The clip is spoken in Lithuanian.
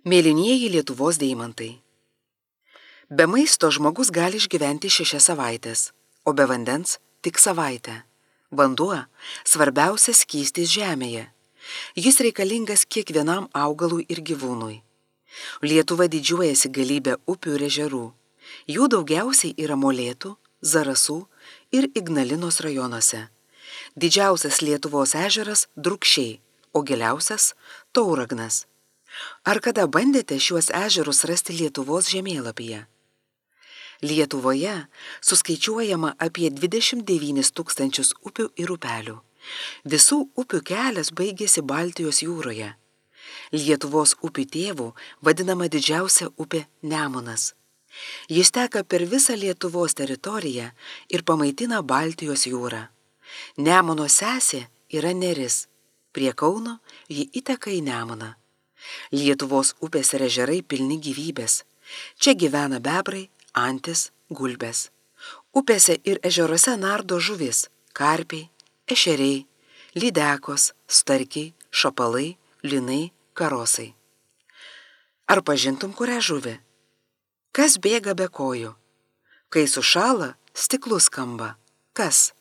Mėlynieji Lietuvos deimantai. Be maisto žmogus gali išgyventi 6 savaites, o be vandens tik savaitę. Vanduo – svarbiausias skystis žemėje. Jis reikalingas kiekvienam augalui ir gyvūnui. Lietuva didžiuojasi galybę upių ir ežerų. Jų daugiausiai yra Molėtų, Zarasų ir Ignalinos rajonuose. Didžiausias Lietuvos ežeras Drūkšiai, o giliausias – Tauragnas. Ar kada bandėte šiuos ežerus rasti Lietuvos žemėlapyje? Lietuvoje suskaičiuojama apie 29 000 upių ir upelių. Visų upių kelias baigėsi Baltijos jūroje. Lietuvos upių tėvų vadinama didžiausia upė Nemunas. Jis teka per visą Lietuvos teritoriją ir pamaitina Baltijos jūrą. Nemuno sesė yra Neris. Prie Kauno ji įteka į Nemuną. Lietuvos upės ir ežerai pilni gyvybės. Čia gyvena bebrai, antis, gulbės. Upėse ir ežeruose nardo žuvis, karpiai, ešeriai, lydekos, starkiai, šapalai, linai, karosai. Ar pažintum kurią žuvį? Kas bėga be kojų? Kai sušąla, stiklu skamba. Kas?